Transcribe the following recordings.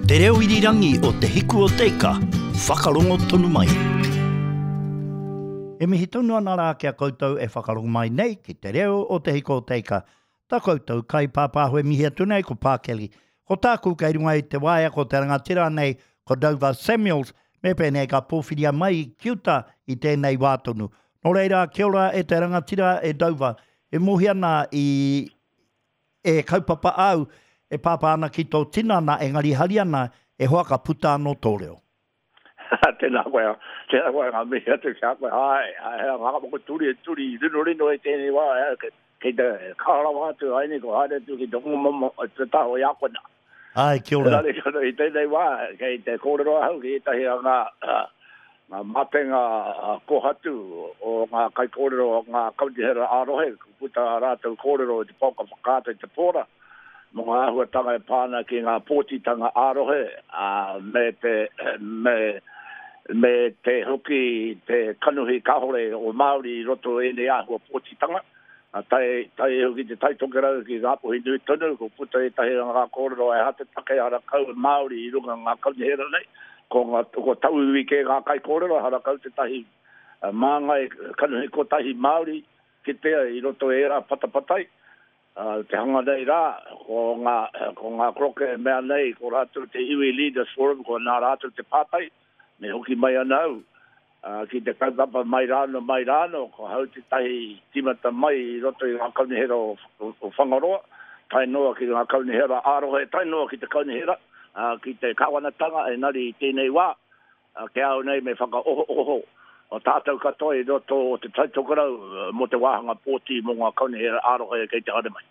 Te reo irirangi o Te Hiku o Te Ika, whakarongo tonu mai. E mihi tonu ana rā ki a koutou e whakarongo mai nei ki te reo o Te Hiku o Te Ika. Tā koutou kaipāpāho e mihi atu nei ko Pākeli. Ko tāku kei runga i te waea ko te rangatira nei ko Dover Samuels, me pēnei ka pōwhiria mai ki uta i tēnei wā tonu. Nō reira, kia ora e te rangatira e Dover, e mohi ana i e kaupapa āu e pāpā ana ki tō tinana engari hari ana e hoa ka puta anō tō reo. Tēnā koe, tēnā koe ngā mihi atu ki a koe. Āe, āe, he ngā moko turi e turi rinorino i tēnei wā, kei te kaha rawa atu, haere ko haere atu ki te rongomomo, te taha o i a koe nā. Āe, kia ora. Engari, i tēnei wā, kei te kōrero ahau ki ētahi o ngā, ngā matenga kōhatu o ngā kaikōrero o ngā kaunihera ā-rohe, kua puta ā rātou kōrero i te pouaka whakaata i te pōra, mō ngā āhuatanga e pā ana ki ngā pōtitanga ā-rohe, ā, me te, me, me te hoki te kanohi kāore o Māori i roto i ēnei āhua pōtitanga. Tae, tae iho ki Te Tai Tokerau, ki Ngāpuhi nui tonu, kua puta ētahi o ngā kōrero e aha te take harakau e Māori i runga ngā kaunihera nei, ko ngā, ko tauiwi kē ngā kaikōrero, harakau tētahi māngai kanohi kotahi Māori kitea i roto i ērā patapatai. Te hanga nei rā, ko ngā, ko ngā koroke e mea nei, ko rātou te Iwi Leaders Forum, ko nā rātou te pātai, me hoki mai ana au ki te kaupapa mai rāno, mai rāno, ko hau tētahi tīmata mai i roto i ngā kaunihera o, o Whangaroa, tae noa ki ngā kaunihera ā-rohe, tae noa ki te kaunihera, ki te kāwanatanga, engari i tēnei wā, Ki a au nei me whakaohooho tātou katoa i roto o Te Tai Tokerau mō te wāhanga pōti mō ngā kaunihera ā-rohe kei te haere mai.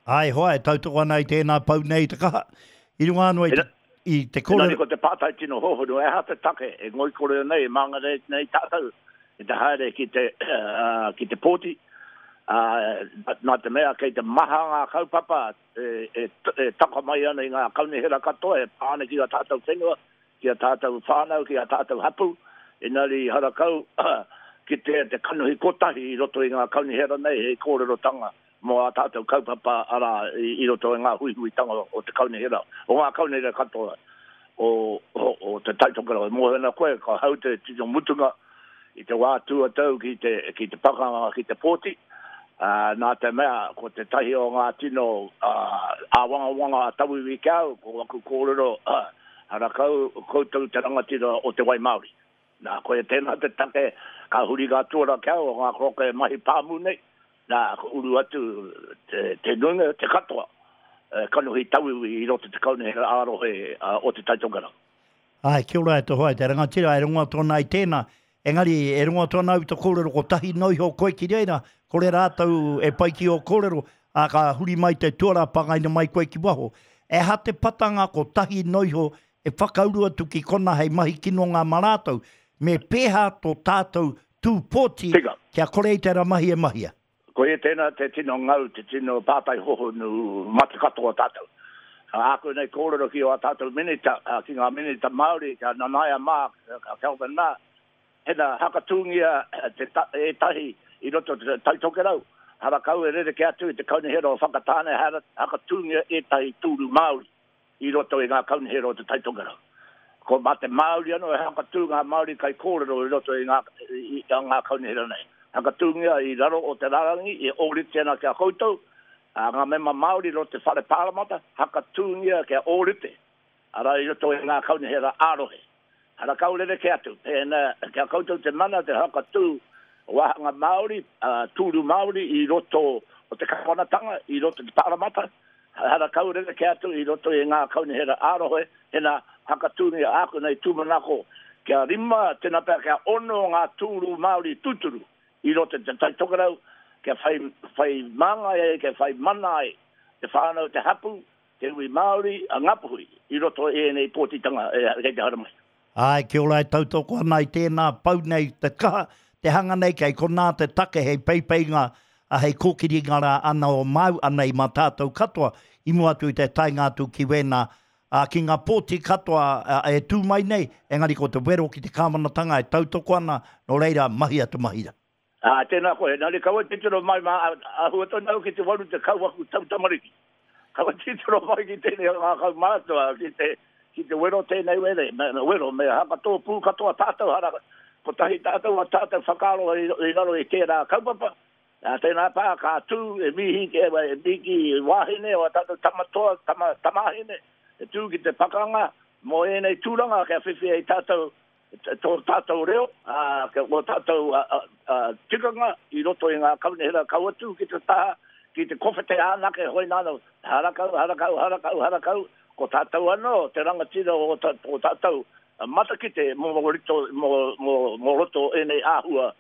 Āe hoa, e tautoko ana i tēnā pou nei te kaha, i runga anō i te, i te kore. Engari ko te pātai tino hōhonu, he aha te take e ngoikore nei, e māngere nei tātou i te haere ki te, ki te pōti, ā, nā te mea kei te maha ngā kaupapa e, e, e taka mai ana i ngā kaunihera katoa e pā ana ki ā tātou whenua, ki a tātou whānau, ki a tātou hapū, engari harakau ki te, te kanohi kotahi i roto i ngā kaunihera nei hei kōrerotanga mō ā tātou kaupapa arā i, i roto i ngā huihuitanga o te kaunihera, o ngā kaunihera katoa o, o, o Te Tai Tokerau. E mōhio ana koe, ka hau te tino mutunga i te wā tuatau ki te, ki te pakanga ki te pōti, ā, nā te mea ko tētahi o ngā tino ā, āwangawanga a tauiwi ki a au, ko aku kōrero, ā, harakau koutou te rangatira o te wai Māori. Nā, koia tēnā te take ka huri ngā tuara ki a au o ngā koroka e mahi pāmu nei, nā, ka uru atu te, te nuinga, te katoa, e, kanohi tauiwi i roto te kaunihera ā-rohe o Te Tai Tokerau. Āe, kia ora e te hoa, e te rangatira, e rongo atu ana i tēnā. Engari, e rongo atu ana au i te kōrero kotahi noa iho koe ki reira, kore rātou e pai ki ō kōrero, ā, ka huri mai te tuara, pangaina mai koe ki waho. E aha te patanga kotahi noa iho e whakauru atu ki kona hei mahi kinonga ma rātou? Me pēhā tō tātou tū pōti Tika. kia kore i tērā mahi e mahia? Koia tēnā te tino ngau, te tino pātai hohonu mate katoa tātou. Āku nei kōrero ki ō tātou minita, ki ngā minita Māori, ki a Nanaia mā, ki a Kelvin mā, hena hakatūngia te ētahi i roto te Tai Tokerau, harakau e rerekē atu i te kaunihera o Whakatāne, hakatūngia ētahi tūru Māori. i roto i ngā kaunihera o Te Tai Tokerau. Ko mā te Māori anō e hakatū ngā Māori kaikōrero i roto i ngā, i, i ngā kaunihera nei. Hakatūngia i raro o te rārangi e ōrite ana ki a koutou, ā, ngā mema Māori i roto te Whare Pāremata, hakatūngia kia ōrite, arā i roto i ngā kaunihera ā-rohe. Harakau rerekē atu, pēnā ki a koutou te mana te hakatū wāhanga Māori, ā, tūru Māori i roto o te kāwanatanga, i roto te Pāremata, Harakau rerekē atu i roto i ngā kaunihera ā-rohe, tēnā, hakatūngia āku nei tūmanako kia rima, tēnā pea kia ono ngā tūru Māori tūturu i roto i Te Tai Tokerau kia whai, whai māngai ai, kia whai mana ai te whānau, te hapū, te iwi Māori, a Ngāpuhi i roto i ēnei pōtitanga kei te haere mai. Āe, kia ora e tautoko ana i tēnā pau nei te kaha, te hanga nei kei konā te take hei peipeinga, ā, hei kōkiringa rā ana o māu ana i mā tātou katoa i mua atu i te taenga atu ki wēnā, ā, ki ngā pōti katoa e tū mai nei, engari ko te wero ki te kāwanatanga e tautoko ana, nō reira, mahia te mahi rā. Ā, tēnā koe, engari kaua titiro mai mā, āhua tonu au ki te 80 aku tau tamariki. Kaua titiro mai ki tēnei o ngā kaumātua, ki te, ki te wero tēnei were, me, wero, me hakatōpū katoa tātou, hara, kotahi tātou a tātou whakaaro i, i raro i tērā kaupapa, ā, tēnā pā ka tū e mihi, e, e miki wāhine o a tātou tamatoa, tama, tamāhine, e tū ki te pakanga mō ēnei tūranga kia whiwhi ai tātou tō tātou reo, ā, kia ō tātou tikanga i roto i ngā kaunihera kau atu ki te taha, ki te kowhete anake, hoi nāna, harakau, harakau, harakau, harakau, ko tātou anō te rangatira o tō tātou matakite mō, mō, mō, mō roto ēnei āhua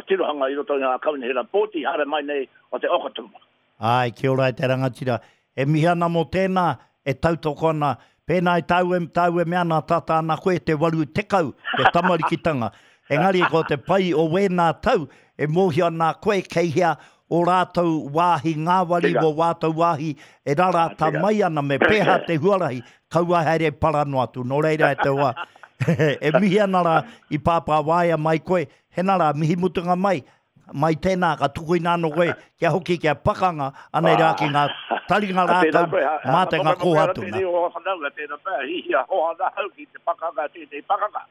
tirohanga i roto i ngā kaunihera pōti haere mai nei o te Okotoma. Āe, kia ora e te rangatira. E mihi ana mō tēnā, e tautoko ana. Pēnā i tāu e, tāu e mea ana, tata ana koe te 80, te tamarikitanga. Engari ko te pai o wēnā tau, e mōhio ana koe kei hea ō rātou wāhi ngāwari, wō wātou wāhi e rarata mai ana, me pēhā te huarahi, kaua haere para noa atu. Nō reira e te hoa, e mihi ana rā i pāpā waea mai koe, hena rā, mihi mutunga mai, mai tēnā, ka tukuina anō koe kia hoki kia pakanga, anei rā ki ngā taringa rākau mā te ngā kōhatu. Tēnei o whanaunga, tēnā pea, hihia hoa ana au ki te pakanga, tēnei pakanga.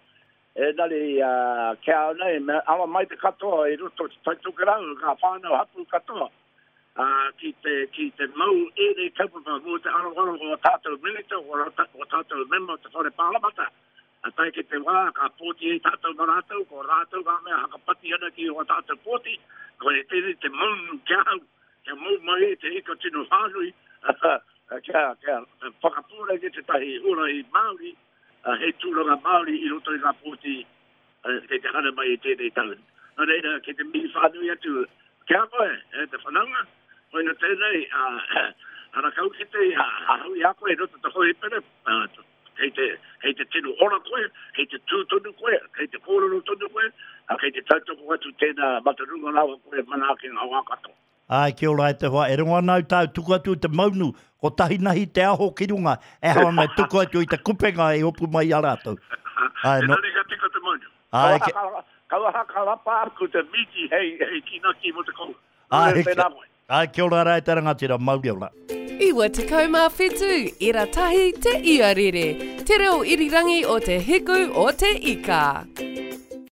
Engari, ki a au nei, me ara mai te katoa i roto i te Tai Tokerau, ngā whānau hapū katoa, ki te, ki te mau ēnei kaupapa mō te aroaro o ā tātou minita, o ā tātou mema o te Whare Pāremata. Ka tae ki te wā, ka pōti ai tātou mā rātou, ko rātou ngā mea hakapati ana ki ō tātou pōti, koia tēnei te maunu ki ahau, kia mau mai ai te ika tino whānui, kia, kia whakapūrenge tētahi huarahi Māori, hei tūranga Māori i roto i ngā pōti kei te haere mai i tēnei tau. Nō reira, kei te mihi whānui atu ki a koe, e te whanaunga, koina tēnei, ara kau ki te ahau i a koe i roto te hōhipera, kei te, kei te tino ora koe, kei te tū tonu koe, kei te kōrero tonu koe, kei te tautoko atu tēnā matarunga rawa koe manaaki ngā wā katoa. Āe, kia ora e te hoa, e rongo ana au tāu tuku atu i te maunu, kotahi nahi te aho ki runga, e hao ana e tuku atu i te kupenga e hopu mai i a rātou. Āe, no. Engari ka tika te maunu. Āe, ke... Kaua haka rapa aku te miti hei, hei kinaki mo te koura. Āe, kia, āe, kia ora rā e te rangatira, mauri ora. 97 ira tahi te iarere, te reo irirangi o te hiku o te ika.